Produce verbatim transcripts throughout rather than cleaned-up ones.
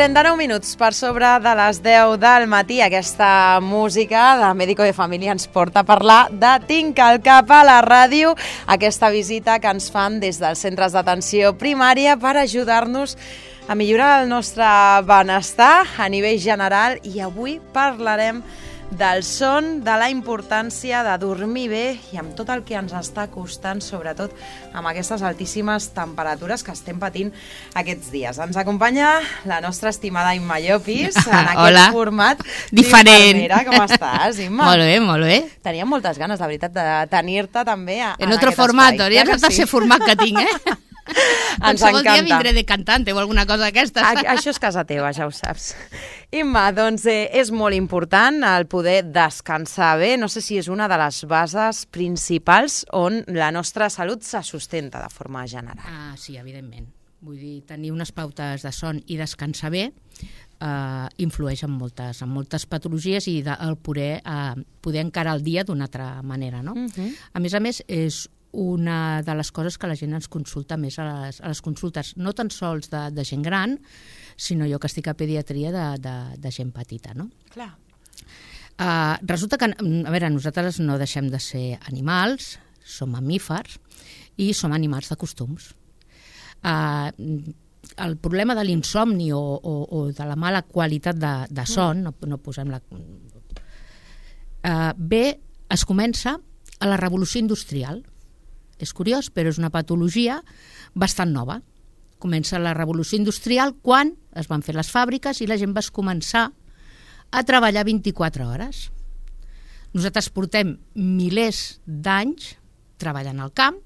trenta-nou minuts per sobre de les deu del matí. Aquesta música de Médico de Família ens porta a parlar de Tinc al cap a la ràdio, aquesta visita que ens fan des dels centres d'atenció primària per ajudar-nos a millorar el nostre benestar a nivell general. I avui parlarem del son, de la importància de dormir bé i amb tot el que ens està costant, sobretot amb aquestes altíssimes temperatures que estem patint aquests dies. Ens acompanya la nostra estimada Imma Llopis en aquest Hola. format diferent. Com estàs, Imma? Molt bé, molt bé. Teníem moltes ganes, de veritat, de tenir-te també a, En en otro aquest formato, espai. ja Clar saps el que sí? format que tinc, eh? Ens Qualsevol dia encanta. vindré de cantante o alguna cosa d'aquestes. A, això és casa teva, ja ho saps. Imma, doncs eh, és molt important el poder descansar bé. No sé si és una de les bases principals on la nostra salut se sustenta de forma general. Ah, sí, evidentment. Vull dir, tenir unes pautes de son i descansar bé eh, influeix en moltes, en moltes patologies i de, el poder, eh, poder encarar el dia d'una altra manera, no? Uh-huh. A més a més, és una de les coses que la gent ens consulta més a les, a les consultes, no tan sols de, de gent gran, sinó jo que estic a pediatria de, de, de gent petita, no? Clar. Uh, resulta que, a veure, nosaltres no deixem de ser animals, som mamífers i som animals de costums. Uh, el problema de l'insomni o, o, o de la mala qualitat de, de son, no, no posem la... Uh, bé, es comença a la revolució industrial. És curiós, però és una patologia bastant nova. Comença la revolució industrial quan es van fer les fàbriques i la gent va començar a treballar vint-i-quatre hores. Nosaltres portem milers d'anys treballant al camp,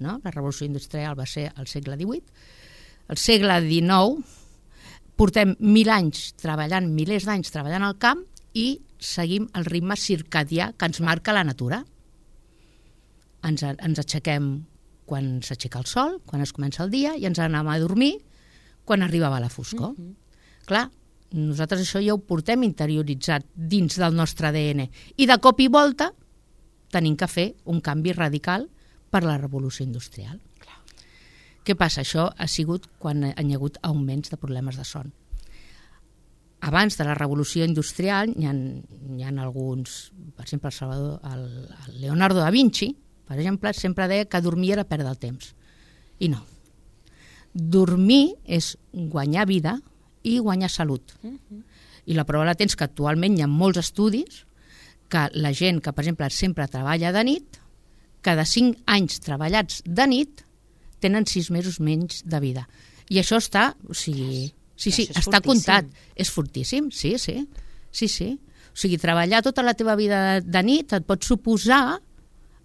no? La revolució industrial va ser al segle divuit. Al segle dinou portem mil anys treballant, milers d'anys treballant al camp i seguim el ritme circadià que ens marca la natura. Ens, ens aixequem quan s'aixeca el sol, quan es comença el dia, i ens anem a dormir quan arribava la foscor. Mm-hmm. Clar, nosaltres això ja ho portem interioritzat dins del nostre A D N i de cop i volta tenim que fer un canvi radical per la revolució industrial. Clar. Què passa? Això ha sigut quan hi ha hagut augments de problemes de son. Abans de la revolució industrial hi ha, hi ha alguns, per exemple, el Salvador, el, el Leonardo da Vinci, per exemple, sempre deia que dormir era perdre el temps. I no. Dormir és guanyar vida i guanyar salut. Uh-huh. I la prova la tens que actualment hi ha molts estudis que la gent que, per exemple, sempre treballa de nit, cada cinc anys treballats de nit, tenen sis mesos menys de vida. I això està, o sigui, sí, sí, està comptat. És fortíssim, sí, sí, sí, sí. O sigui, treballar tota la teva vida de nit et pot suposar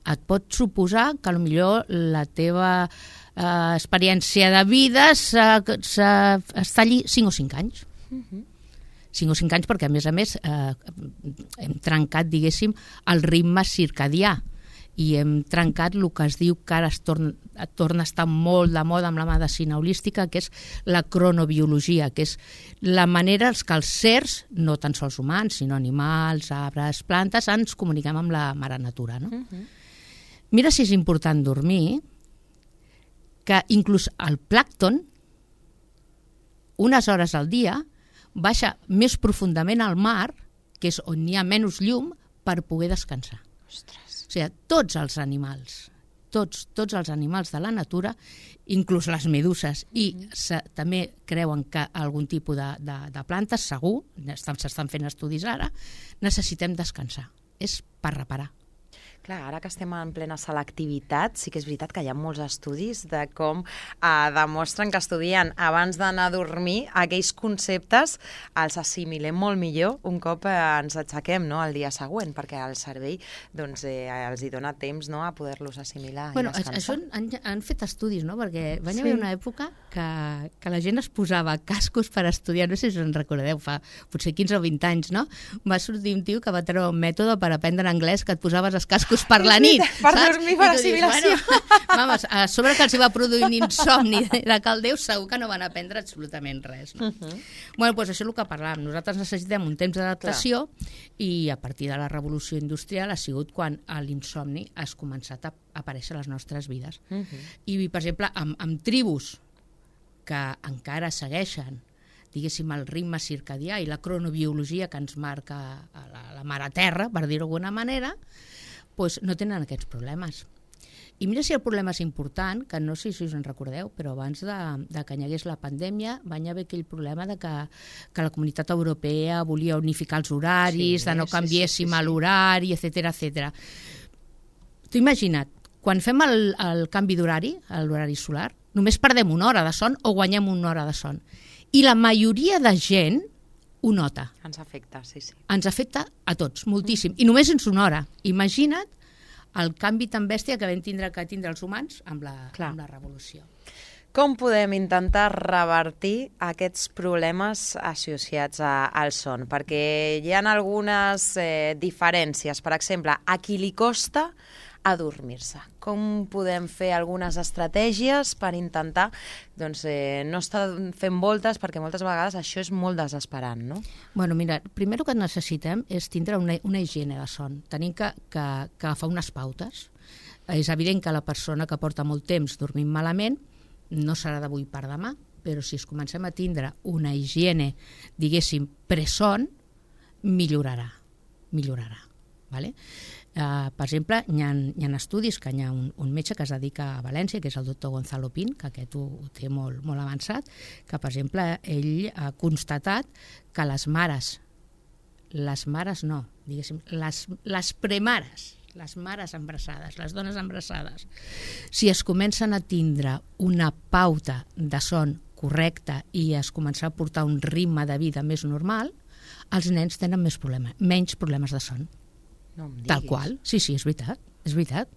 et pot suposar que potser la teva eh, experiència de vida està allí cinc o cinc anys. Uh-huh. cinc o cinc anys perquè, a més a més, eh, hem trencat, diguéssim, el ritme circadià i hem trencat el que es diu que ara es torna, torna a estar molt de moda amb la medicina holística, que és la cronobiologia, que és la manera que els certs, no tan sols humans, sinó animals, arbres, plantes, ens comuniquem amb la mare natura, no? Uh-huh. Mira si és important dormir, que inclús el plàncton, unes hores al dia, baixa més profundament al mar, que és on hi ha menys llum, per poder descansar. Ostres. O sigui, tots els animals, tots, tots els animals de la natura, inclús les meduses, i se, també creuen que algun tipus de, de, de plantes, segur, s'estan fent estudis ara, necessitem descansar. És per reparar. Clar, ara que estem en plena selectivitat, sí que és veritat que hi ha molts estudis de com eh, demostren que estudien abans d'anar a dormir aquells conceptes els assimilem molt millor un cop eh, ens aixequem, no?, el dia següent, perquè el cervell doncs, eh, els hi dona temps, no?, a poder-los assimilar bueno, i descansar. Això han, han fet estudis, no?, perquè va sí. haver una època que, que la gent es posava cascos per estudiar, no sé si us en recordeu, fa potser quinze o vint anys, no? Va sortir un tio que va treure un mètode per aprendre anglès que et posaves els cascos per la nit, per saps? dormir, per assimilació. Bueno, vamos, a sobre que els va produir un insomni de cal Déu, segur que no van aprendre absolutament res. No? Uh-huh. Bueno, doncs això és el que parlàvem. Nosaltres necessitem un temps d'adaptació i a partir de la revolució industrial ha sigut quan l'insomni ha començat a aparèixer a les nostres vides. Uh-huh. I, per exemple, amb, amb tribus que encara segueixen diguéssim, el ritme circadià i la cronobiologia que ens marca la, la mare terra, per dir-ho d'alguna manera, doncs no tenen aquests problemes. I mira si el problema és important, que no sé si us en recordeu, però abans de, de que hi hagués la pandèmia va haver aquell problema de que, que la Comunitat Europea volia unificar els horaris, sí, de no canviéssim sí, sí, sí, sí. l'horari, etcètera, etcètera. T'ho imagina't, quan fem el, el canvi d'horari, l'horari solar, només perdem una hora de son o guanyem una hora de son. I la majoria de gent ho nota. Ens afecta, sí, sí. Ens afecta a tots, moltíssim. I només en una hora. Imagina't el canvi tan bèstia que vam tindre que tindre els humans amb la, amb la revolució. Com podem intentar revertir aquests problemes associats a, al son? Perquè hi ha algunes eh, diferències. Per exemple, a qui li costa adormir-se. Com podem fer algunes estratègies per intentar doncs, eh, no estar fent voltes, perquè moltes vegades això és molt desesperant, no? Bueno, mira, primer el que necessitem és tindre una, una higiene de son. Tenim que, que, que agafar unes pautes. És evident que la persona que porta molt temps dormint malament no serà d'avui per demà, però si es comencem a tindre una higiene, diguéssim, preson, millorarà. Millorarà. Vale? Uh, per exemple, hi ha, hi ha estudis que hi ha un, un metge que es dedica a València, que és el doctor Gonzalo Pin, que aquest ho, ho té molt, molt avançat, que, per exemple, ell ha constatat que les mares, les mares no, diguéssim, les, les premares, les mares embarassades, les dones embarassades, si es comencen a tindre una pauta de son correcta i es comença a portar un ritme de vida més normal, els nens tenen més problemes, menys problemes de son. No em diguis. Tal qual, sí, sí, és veritat, és veritat.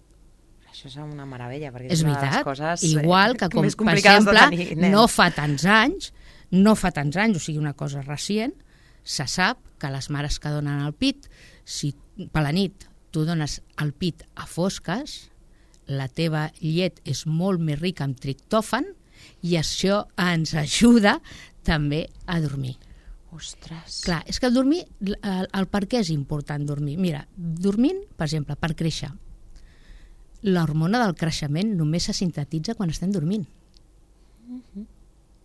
Això és una meravella, perquè és, és una veritat. de les coses igual que, com, per exemple, no fa tants anys, no fa tants anys, o sigui, una cosa recient, se sap que les mares que donen el pit, si per la nit tu dones el pit a fosques, la teva llet és molt més rica en triptòfan i això ens ajuda també a dormir. Ostres. Clar, és que el dormir, el, el per què és important dormir? Mira, dormint, per exemple, per créixer, l'hormona del creixement només se sintetitza quan estem dormint. Uh-huh.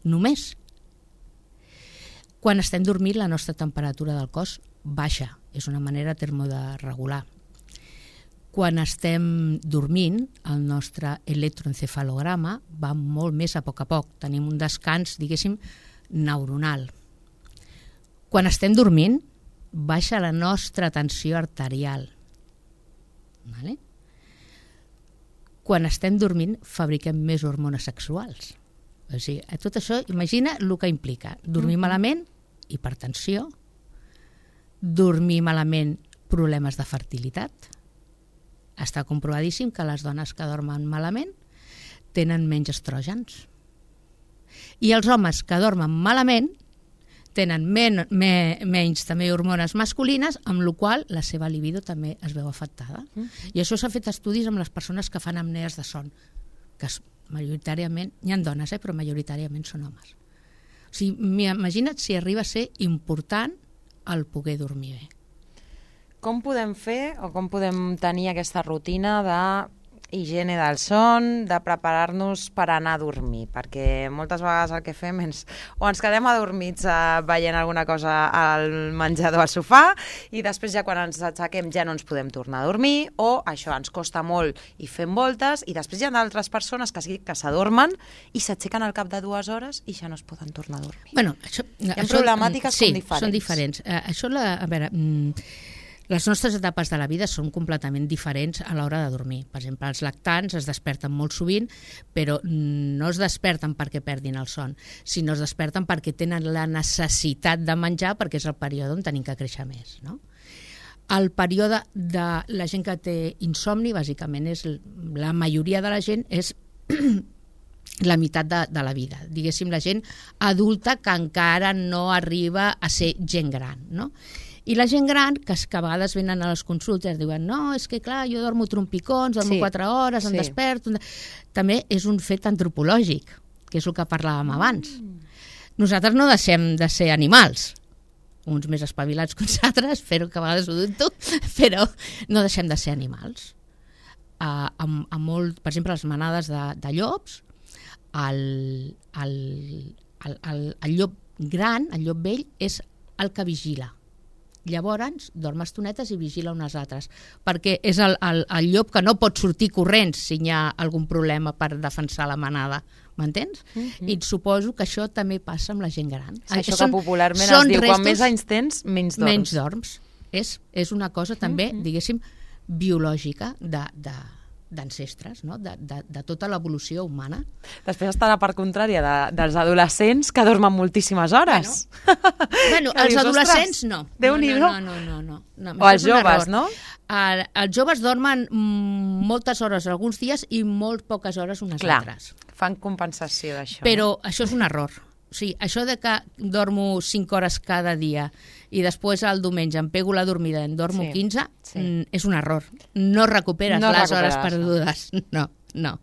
Només. Quan estem dormint, la nostra temperatura del cos baixa. És una manera termo de regular. Quan estem dormint, el nostre electroencefalograma va molt més a poc a poc. Tenim un descans, diguéssim, neuronal. Quan estem dormint, baixa la nostra tensió arterial. Vale? Quan estem dormint, fabriquem més hormones sexuals. O sigui, tot això, imagina el que implica. Dormir mm-hmm. malament, hipertensió, dormir malament, problemes de fertilitat. Està comprovadíssim que les dones que dormen malament tenen menys estrògens. I els homes que dormen malament tenen men, me, menys també hormones masculines, amb la qual la seva libido també es veu afectada. Mm. I això s'ha fet estudis amb les persones que fan apnees de son, que majoritàriament, hi ha dones, eh, però majoritàriament són homes. O sigui, imagina't si arriba a ser important el poder dormir bé. Com podem fer o com podem tenir aquesta rutina de higiene del son, de preparar-nos per anar a dormir, perquè moltes vegades el que fem és o ens quedem adormits eh, veient alguna cosa al menjador al sofà i després ja quan ens aixequem ja no ens podem tornar a dormir o això ens costa molt i fem voltes i després hi ha d'altres persones que sí que s'adormen i s'aixequen al cap de dues hores i ja no es poden tornar a dormir. Bueno, això, hi ha això, problemàtiques sí, com diferents. Són diferents. Uh, això, la, a veure... Mm, les nostres etapes de la vida són completament diferents a l'hora de dormir. Per exemple, els lactants es desperten molt sovint, però no es desperten perquè perdin el son, sinó es desperten perquè tenen la necessitat de menjar perquè és el període on tenim que créixer més, no? El període de la gent que té insomni, bàsicament, és la majoria de la gent és la meitat de, de la vida. Diguéssim, la gent adulta que encara no arriba a ser gent gran, no? I la gent gran, que, que a vegades venen a les consultes, diuen, no, és que clar, jo dormo trompicons, dormo sí, quatre hores, em sí. desperto... També és un fet antropològic, que és el que parlàvem abans. Mm. Nosaltres no deixem de ser animals, uns més espavilats que uns altres, però que a vegades ho dubto, però no deixem de ser animals. Uh, amb, amb molt, per exemple, les manades de, de llops, el, el, el, el, el llop gran, el llop vell, és el que vigila. Llavors, dorm estonetes i vigila unes altres, perquè és el, el, el llop que no pot sortir corrents si hi ha algun problema per defensar la manada, m'entens? Mm-hmm. I suposo que això també passa amb la gent gran. Sí, això són, que popularment es diu, quan més anys tens, menys dorms. Menys dorms. És, és una cosa també, mm-hmm. diguéssim, biològica de... de d'ancestres, no? de, de, de tota l'evolució humana. Després està la part contrària de, dels adolescents que dormen moltíssimes hores. Bueno, bueno els dius, adolescents no. Déu-n'hi-do. No, no, no, no, no. O els joves, no? El, els joves dormen moltes hores alguns dies i molt poques hores unes Clar, altres. Fan compensació d'això. Però no? Això és un error. O sigui, això de que dormo cinc hores cada dia i després el diumenge em pego la dormida i en dormo sí, quinze, sí. és un error. No recuperes no les hores perdudes. No, no.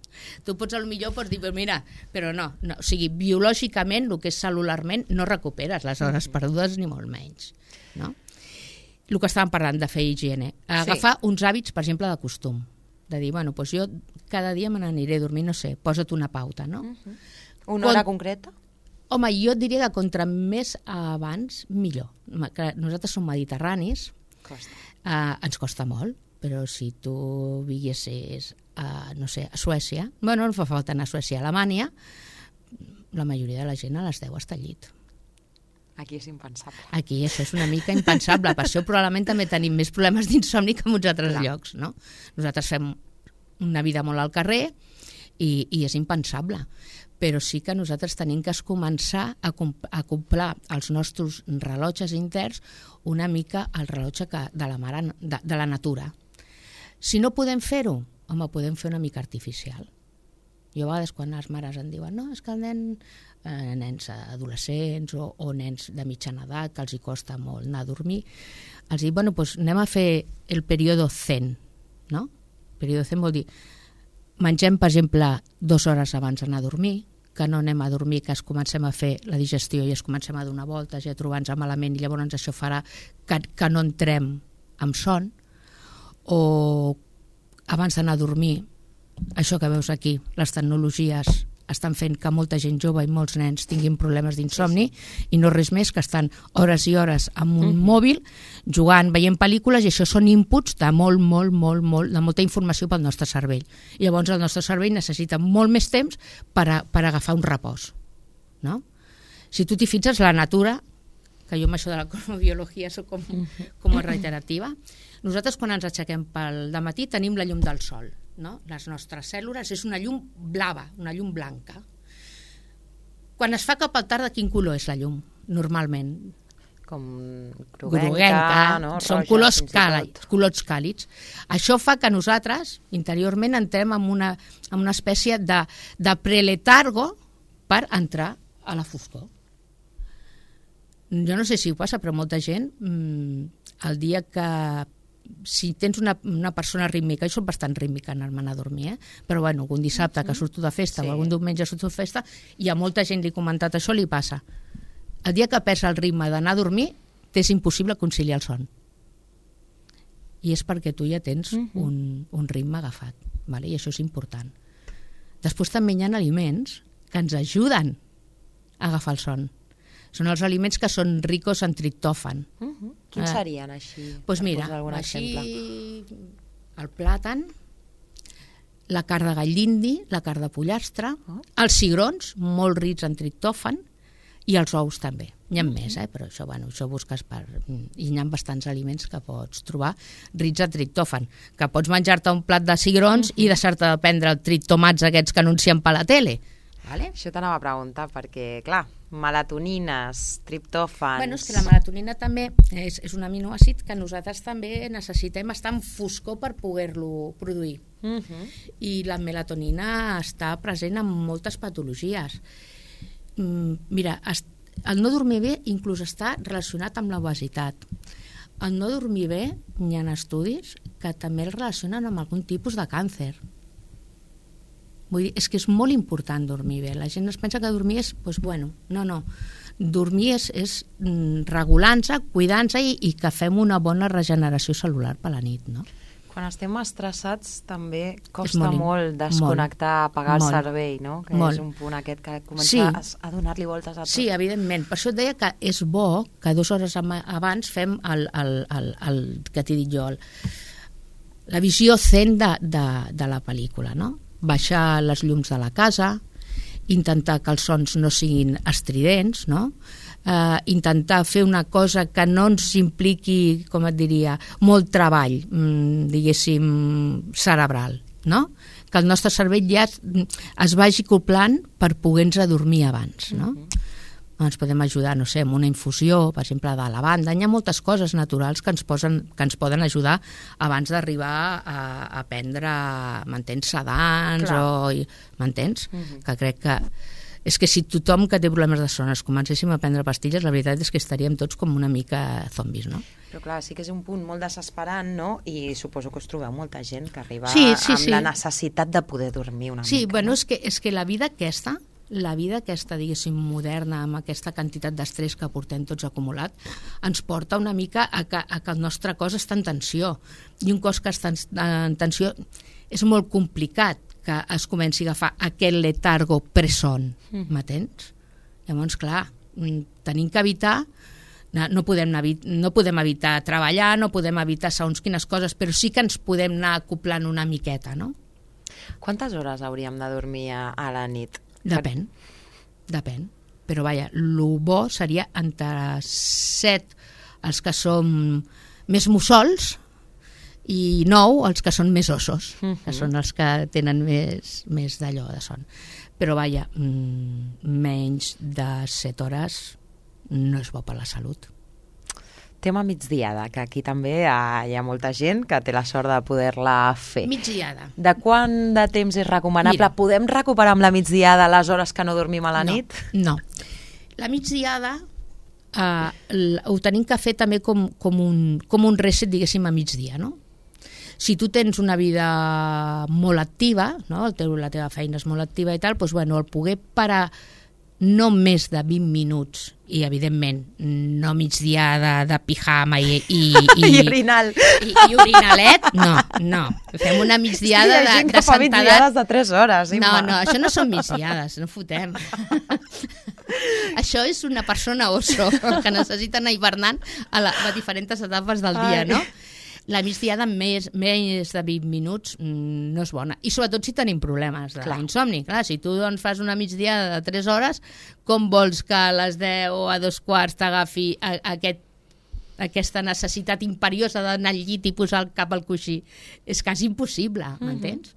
Tu pots, potser pots dir, però mira, però no, no. O sigui, biològicament, el que és celularment, no recuperes les hores mm. perdudes ni molt menys. No? El que estàvem parlant de fer higiene. Agafar sí. uns hàbits, per exemple, de costum. De dir, bueno, doncs jo cada dia me n'aniré a dormir, no sé, posa't una pauta, no? Mm-hmm. Una hora Con... concreta? Home, jo et diria que contra més abans, millor. Que nosaltres som mediterranis, costa. Eh, ens costa molt, però si tu viguessis a, no sé, a Suècia, bueno, no fa falta anar a Suècia, a Alemanya, la majoria de la gent a les deu està al llit. Aquí és impensable. Aquí això és una mica impensable, per això probablement també tenim més problemes d'insomni que en uns altres Clar. llocs, no? Nosaltres fem una vida molt al carrer i, i és impensable. Però sí que nosaltres tenim que començar a acoplar els nostres rellotges interns una mica al rellotge que, de, la mare, de, de la natura. Si no podem fer-ho, home, podem fer una mica artificial. Jo a vegades quan les mares em diuen no, és que el nen, eh, nens adolescents o, o nens de mitjana edat que els hi costa molt anar a dormir, els dic, bueno, doncs anem a fer el període zen, no? El període zen vol dir mengem, per exemple, dues hores abans d'anar a dormir, que no anem a dormir, que es comencem a fer la digestió i es comencem a donar voltes i a trobar-nos malament i llavors això farà que, que no entrem amb son, o abans d'anar a dormir, això que veus aquí, les tecnologies estan fent que molta gent jove i molts nens tinguin problemes d'insomni sí, sí. i no res més que estan hores i hores amb un mm. mòbil jugant, veient pel·lícules i això són inputs de molt, molt, molt, molt, de molta informació pel nostre cervell. I llavors el nostre cervell necessita molt més temps per, a, per agafar un repòs. No? Si tu t'hi fixes, la natura, que jo amb això de la cronobiologia soc com, com a reiterativa, nosaltres quan ens aixequem pel dematí tenim la llum del sol. No? Les nostres cèl·lules és una llum blava, una llum blanca. Quan es fa cap al tarda, quin color és la llum, normalment? Com groguenca, groguenca no? Són Roja, colors, càlids, colors càlids. Això fa que nosaltres, interiorment, entrem en una, en una espècie de, de preletargo per entrar a la foscor. Jo no sé si ho passa, però molta gent, mmm, el dia que si tens una, una persona rítmica, jo soc bastant rítmica en anar a dormir, eh? Però bueno, algun dissabte que surto de festa sí. o algun diumenge surto de festa i a molta gent li he comentat això, li passa. El dia que perds el ritme d'anar a dormir, t'és impossible conciliar el son. I és perquè tu ja tens uh-huh. un, un ritme agafat, vale? I això és important. Després també hi ha aliments que ens ajuden a agafar el son. Són els aliments que són ricos en triptòfan. Uh-huh. Quins serien així? Doncs pues mira, així exemple. El plàtan, la carn de gall d'indi, la carn de pollastre, oh. els cigrons, molt rics en triptòfan, i els ous també. N'hi ha uh-huh. més, eh? Però això, bueno, això busques per... I n'hi ha bastants aliments que pots trobar rics en triptòfan, que pots menjar-te un plat de cigrons uh-huh. i deixar-te de prendre els triptomats aquests que anuncien per la tele. Vale? Això t'anava a preguntar, perquè, clar, melatonines, triptòfans... Bueno, és que la melatonina també és, és un aminoàcid que nosaltres també necessitem estar en foscor per poder-lo produir. Uh-huh. I la melatonina està present en moltes patologies. Mm, mira, el no dormir bé inclús està relacionat amb l'obesitat. El no dormir bé, hi ha estudis que també el relacionen amb algun tipus de càncer. Vull dir, és que és molt important dormir bé. La gent es pensa que dormir és, doncs bueno, no, no. Dormir és, és regulant-se, cuidant-se i, i que fem una bona regeneració cel·lular per la nit, no? Quan estem estressats també És costa molt, molt desconnectar, apagar el molt, cervell, no? Que molt. és un punt aquest que comença Sí. a, a donar-li voltes a tot. Sí, evidentment. Per això et deia que és bo que dues hores ama- abans fem el, el, el, el que t'he dit jo, el, la visió zen de, de, de la pel·lícula, no? Baixar les llums de la casa, intentar que els sons no siguin estridents, no? Uh, intentar fer una cosa que no ens impliqui, com et diria, molt treball, mm, diguéssim, cerebral, no? Que el nostre cervell ja es vagi acoplant per poder-nos adormir abans, no? Uh-huh. Ens podem ajudar, no sé, amb una infusió, per exemple, de lavanda. Hi ha moltes coses naturals que ens, posen, que ens poden ajudar abans d'arribar a, a prendre, m'entens, sedants, Clar. o... M'entens? Uh-huh. Que crec que... És que si tothom que té problemes de son es comencéssim a prendre pastilles, la veritat és que estaríem tots com una mica zombis, no? Però clar, sí que és un punt molt desesperant, no? I suposo que us trobeu molta gent que arriba Sí, sí, amb sí. la necessitat de poder dormir una Sí, mica. bueno, no? és que, és que la vida aquesta, la vida aquesta, diguéssim, moderna, amb aquesta quantitat d'estrès que portem tots acumulat, ens porta una mica a que, a que el nostre cos està en tensió. I un cos que està en tensió és molt complicat que es comenci a agafar aquest letargo presson, Mm. m'entens? Llavors, clar, tenim que evitar, no, no, podem, evi- no podem evitar treballar, no podem evitar segons quines coses, però sí que ens podem anar acoplant una miqueta, no? Quantes hores hauríem de dormir a, a la nit? Depèn, depèn. Però vaja, el bo seria entre set els que són més mussols i nou els que són més ossos, uh-huh. que són els que tenen més, més d'allò de son. Però vaja, mm, menys de set hores no és bo per la salut. Tema migdiada, que aquí també hi ha, hi ha molta gent que té la sort de poder-la fer. Migdiada. De quant de temps és recomanable? Mira. Podem recuperar amb la migdiada les hores que no dormim a la no, nit? No. La migdiada eh, l- ho tenim que fer també com, com, un, com un reset, diguéssim, a migdia, no? Si tu tens una vida molt activa, no? El teu, la teva feina és molt activa i tal, doncs, bueno, el poder parar no més de vint minuts i, evidentment, no migdiada de pijama i, i, i, I orinal. i, i orinalet, no, no. Fem una migdiada Hi ha de, gent de que fa sentada. migdiades de tres hores. No, Imma. no, això no són migdiades, no fotem. Això és una persona oso que necessita anar hivernant a, la, a diferents etapes del dia, Ai. no? La migdiada més, més de vint minuts mm, no és bona. I sobretot si tenim problemes d'insomni. Clar, si tu doncs, fas una migdiada de tres hores, com vols que a les deu o a dos quarts t'agafi a, a aquest aquesta necessitat imperiosa d'anar al llit i posar el cap al coixí? És quasi impossible, m'entens?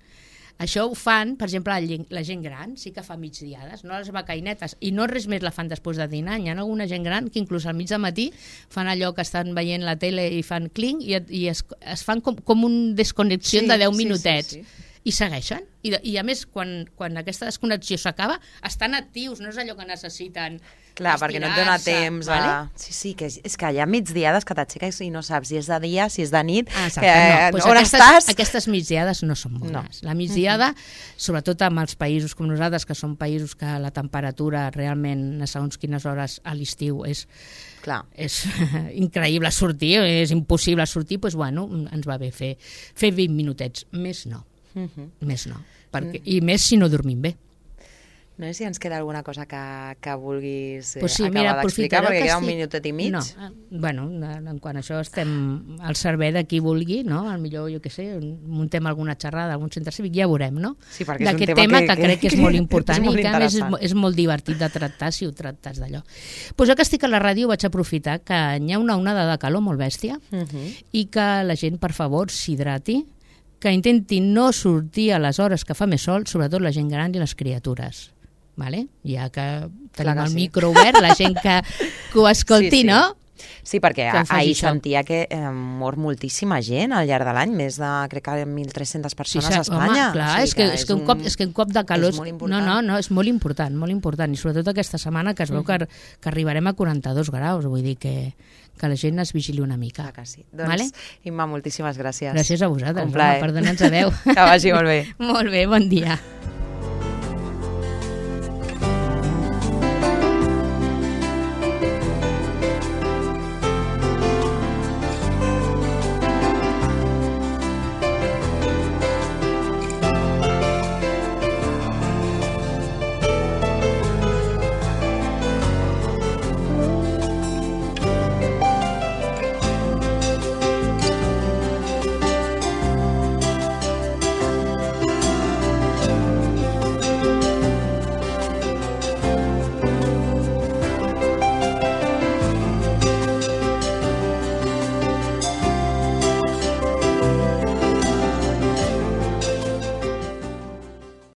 Això ho fan, per exemple, la gent, la gent gran, sí que fa migdiades, no les becainetes, i no res més la fan després de dinar. Hi ha alguna gent gran que inclús al mig de matí fan allò que estan veient la tele i fan cling i, i es, es fan com, com un desconnexió Sí, de deu sí, minutets. sí, sí. I segueixen. I, I a més, quan, quan aquesta desconnexió s'acaba, estan actius, no és allò que necessiten Clar, perquè no et dona estirar-se, temps vale? a... Sí, sí, que és, és que hi ha migdiades que t'aixeques i no saps si és de dia, si és de nit, Ah, exacte, que, no. Pues on aquestes, estàs? Aquestes migdiades no són bones. No. La migdiada, sobretot amb els països com nosaltres, que són països que la temperatura realment a segons quines hores a l'estiu és, Clar. és increïble sortir, és impossible sortir, doncs bueno, ens va bé fer, fer vint minutets. Més no. Uh -huh. Més no. Perquè, I més si no dormim bé. No sé si ens queda alguna cosa que, que vulguis eh, Pues sí, acabar mira, d'explicar, aprofitaré perquè que queda un estic- minutet i mig. No, eh, bueno, en en quant a això estem al servei de qui vulgui, no? Al millor, jo què sé, muntem alguna xerrada, algun centre cívic, ja veurem, no? Sí, perquè és un D'aquest tema tema que- que, que- crec que és molt important és molt i que a més és, interessant. mo- és molt divertit de tractar si ho tractes d'allò. Pues jo que estic a la ràdio vaig aprofitar que hi ha una onada de calor molt bèstia Uh -huh. i que la gent, per favor, s'hidrati, que intenti no sortir a les hores que fa més sol, sobretot la gent gran i les criatures. Vale? Ja que tenim que el sí. micro obert, la gent que, que ho escolti, Sí, sí. no? Sí, perquè Que en faci ahir això. sentia que eh, mor moltíssima gent al llarg de l'any, més de, crec que mil tres-centes persones sí, a Espanya. Home, clar, O sigui és, que, és, que un cop, és que un cop de calor... és molt important. No, no, no, és molt important, molt important. I sobretot aquesta setmana que es veu Mhm. que, que arribarem a quaranta-dos graus, vull dir que, que la gent es vigili una mica. Clar que sí. Doncs, Vale? Imma, moltíssimes gràcies. Gràcies a vosaltres, Un plaer. home, per donar-nos a veu. Que vagi molt bé. Molt bé, bon dia.